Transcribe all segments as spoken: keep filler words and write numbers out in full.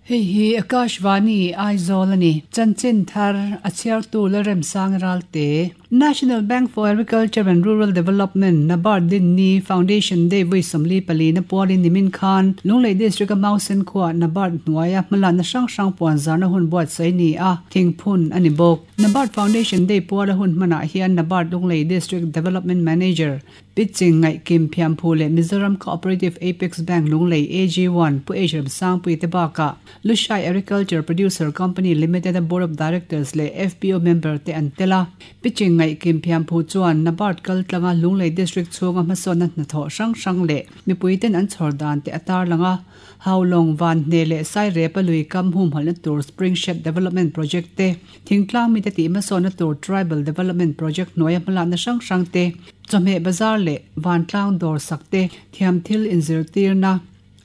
Hei hi Akashvani Aizawl ani chanchin thar a chhiartu Lalremsang Ralte National Bank for Agriculture and Rural Development NABARD din ni Foundation Day vui sawmli pali na pualin nimin khan Lunglei District a Mausen khua NABARD hnuaia hmalakna hrang hrang puan zarna hun buatsaih ni a thingphun ani bawk NABARD Foundation Day puala hun hmanah hian NABARD Lunglei District Development Manager Pitching Ngai Kim Phiamphu leh Mizoram Cooperative Apex Bank Lunglei A G one Pu H Remsangpui te bakah Lushai Agriculture Producer Company Limited a Board of Directors leh F P O member te an tel a Pitching Ngai Kim Phiamphu chuan NABARD kal tlanga Lunglei District chhunga hmasawnna hnathawh hrang hrang leh mipui ten an chhawr dan te a tar langa Haulawng van hne leh sai rep a lui kam hum halna tur Spring Shed Development Project te thingtlang mi te tih hmasawnna tur Tribal Development Project hnuaia hmalakna hrang hrang te chawhmeh bazar leh vantlang dawr sak te thiam thil inzirtirna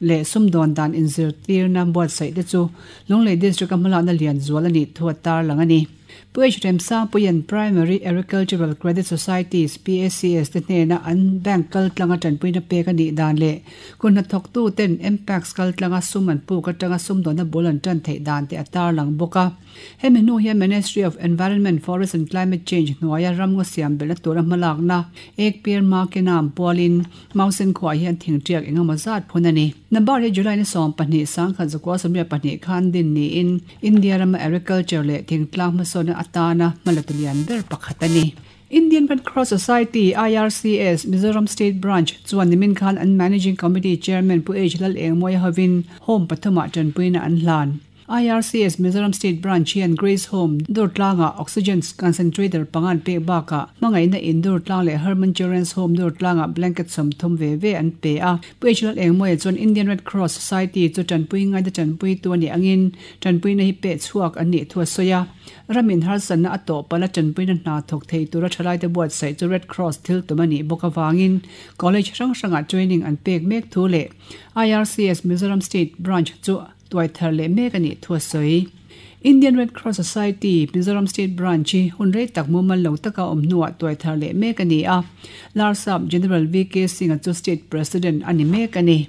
leh sumdawn dan inzirtirna buatsaih te chu Lunglei District a hmalakna lian zual ani thu a tar lang ani Pu H Remsangpuian Primary Agricultural Credit Societies P A C S te hnena an bank kal tlanga tanpuina pek ani dan leh kun hnathawk tu ten Mpax kal tlanga sum an puk atanga sumdawnna bul an tan theih dan te a tar lang bawk a hemi hnu hian Ministry of Environment Forest and Climate Change hnuaia ramngaw siam belhna tura hmalakna ek pir makenam pualin Mausen khuah hian thingtiak engemaw zat phun ani NABARD hi July ni sawm pahnih sangkhat zakua sawmriat pahnih khan din niin India rama agriculture leh thingtlang hmasawnna atana hmalatulian ber pakhat ani Indian Red Cross Society I R C S Mizoram State Branch chuan nimin khan an Managing Committee Chairman Pu H Lal Engmawia hovin home pathuma tanpuina an hlan I R C S Mizoram State Branch hian Grace Home Durtlanga Oxygen Concentrator pangan pek baka hmangaihna in Durtlang leh Herman Children's Home Durtlanga blanket sawmthum ve ve an pe a Pu H Lal Engmawia chuan Indian Red Cross Society chu tanpui ngai te tanpui tu ani angin tanpuina hi pe chhuak an nih thu a sawi a ramin harsanna a tawh pala tanpuina hna thawk thei tura thalai te buatsaih chu Red Cross thil tum ani bawk awangin college hrang hrangah training an pek mek thu leh I R C S Mizoram State Branch chu tuai thar leh mek ani thu a sawi Indian Red Cross Society Mizoram State Branch hi hun rei tak mumal lo taka awm hnuah tuai thar leh mek ani a Larsap General V K Singh chu State President ani mek ani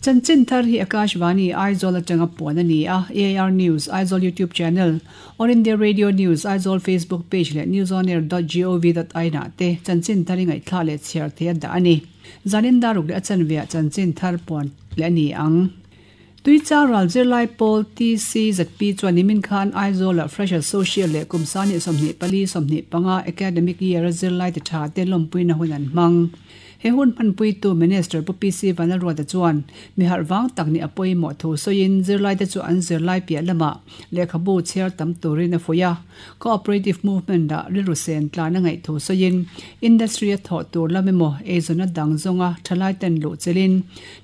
Chanchin thar hi Akashvani Aizawl atanga puan ani a A I R News Aizawl YouTube channel All India Radio News Aizawl Facebook page leh newsonair dot gov dot in ah te chanchin thar hi ngaihthla leh chhiar thei a dah ani zanin daruk leh a chanveah chanchin thar puan leh ani ang Tuicha ral zirlai pawl T C Z P chuan nimin khan Aizawl ah Fresher Social leh kumsani sawmhnih pali sawmhnih panga academic year a zirlai ti tha te lawmpuina hun an hmang he hun hmanpui tu Minister Pu P C Vanlalruata chuan mi harh tak ni a pawimawh thu sawiin zirlai te chu an zirlai piah lamah lehkhabu chhiar tam turin a fuih a cooperative movement ah rilru sen tlan a ngaih thu sawiin industry a thawh tur lam emaw eizawnna dang zawnga thalai ten luh chelin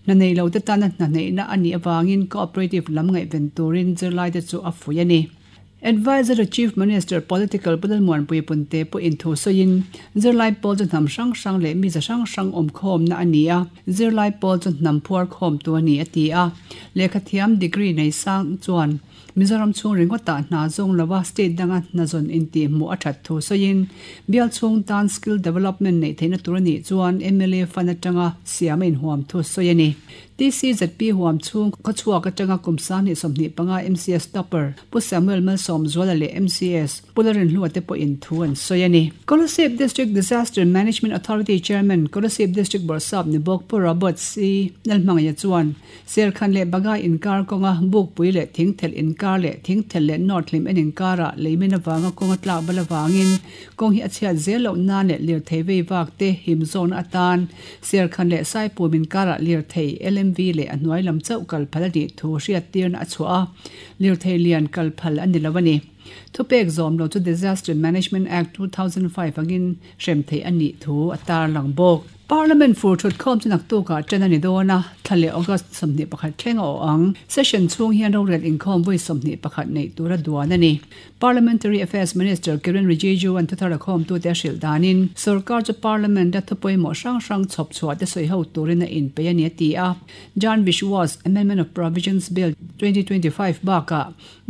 hna nei lo te tana hna neihna ani awangin cooperative lam ngaihven turin zirlai te chu a fuih ani Advisor to Chief Minister Political Pudalmuan Puipunte pu in thu sawiin zirlai pawl chu hnam hrang hrang leh mi za hrang hrang awm khawm na ani a zirlai pawl chu hnam phuar khawm tu ani a ti a lehkha thiam degree nei sang chuan Mizoram chhung ringawtah hna zawng lova state danga hna zawn in tih hmuh a that thu sawiin bial chhung tan skill development nei theihna tur ani chuan M L A fund atanga siam a inhuam thu sawi ani T C Z P huam chhung khawchhuak atanga kumsani sawmhnih panga M C S topper Pu Samuel Malsawm Zuala leh M C S Pularin hlua te pawh in thu an sawi ani Kolasib District Disaster Management Authority Chairman Kolasib District Borsap ni bawk Pu Robert C Lalhmangaya chuan Serkhan leh Baga inkar kawnga bukpui leh thingthel inkar leh thingthel leh north hlim en inkara leimin awanga kawnga tlak bal awangin kawng hi a chhiat zel loh nan leh lirthei vei vak te him zawn atan Serkhan leh Saipum inkara lirthei L M V leh a hnuai lam chauh kal phal ani thu hriat tirna a chhuah a lirthei lian kal phal ani lo ani thupek zawm lo chu Disaster Management Act two thousand five angin hrem thei ani thu a tar lang bawk Parliament fur thut khawm chu naktuk ah ṭan ani dawn a thla leh August sawmhnih pakhat thleng a aw ang session chhung hian rorel inkhawm vawi sawmhnih pakhat nei tura duan ani Parliamentary Affairs Minister Kiren Rijiju an thuthar a khawm tu te a hrilh danin sarkar chu Parliament a thupawimawh hrang hrang chhawp chhuah te sawi ho turin a inpei ani a ti a Jan Vishwas Amendment of Provisions Bill twenty twenty-five bakah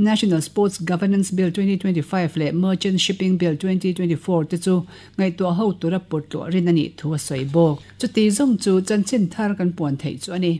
National Sports Governance Bill twenty twenty-five leh Merchant Shipping Bill twenty twenty-four te chu ngaihtuah ho tura pawtluah rin ani thu a sawi bawk chuti zawng chu chanchin thar kan puan theih chu ani.